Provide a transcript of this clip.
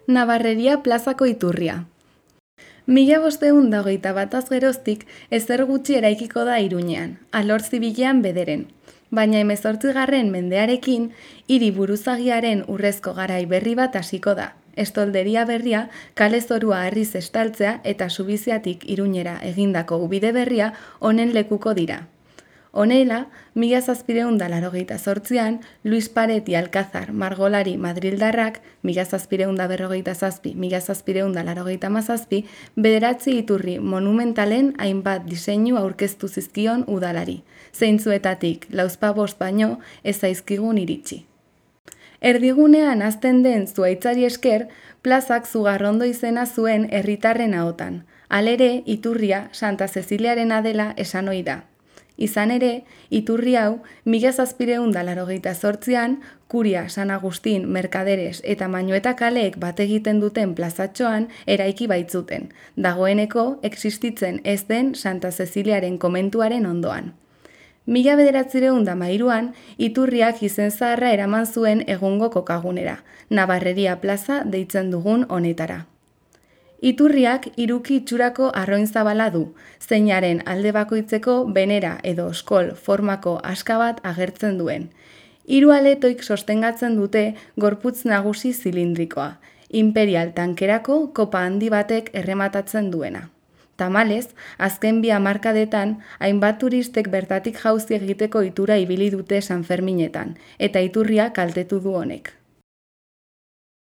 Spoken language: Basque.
Nabarreria plazako iturria. 1521 geroztik ezer gutxi eraikiko da Iruñean, alor zibilean bederen. Baina 18. mendearekin, hiri buruzagiaren urrezko garai berri bat hasiko da. Estolderia berria, kale zorua harriz estaltzea eta Subiziatik Iruñera egindako ubide berria honen lekuko dira. Honela, 1788an, Luis Pareti Alcázar margolari madrildarrak, 1747-1787, bederatzi iturri monumentalen hainbat diseinu aurkeztu zizkion udalari, zeintzuetatik lauzpabost baino ez zaizkigun iritsi. Erdigunean hazten den zuhaitzari esker, plazak Zugarrondo izena zuen herritarren ahotan, halere iturria Santa Ceciliarena dela esan ohi da. Izan ere, iturri hau 1788an, Kuria, San Agustin, Merkaderes eta Mañueta kaleek bat egiten duten plazatxoan eraiki baitzuten, dagoeneko existitzen ez den Santa Ceciliaren komentuaren ondoan. 1913an, iturriak izen zaharra eraman zuen egungo kokagunera, Nabarreria plaza deitzen dugun honetara. Iturriak hiruki itxurako arroin zabala du, zeinaren alde bakoitzeko benera edo oskol formako aska bat agertzen duen. Hiru aletoik sostengatzen dute gorputz nagusi zilindrikoa, imperial tankerako kopa handi batek errematatzen duena. Tamalez, azken bi hamarkadetan, hainbat turistek bertatik jauzi egiteko itura ibili dute San Ferminetan, eta iturria kaltetu du honek.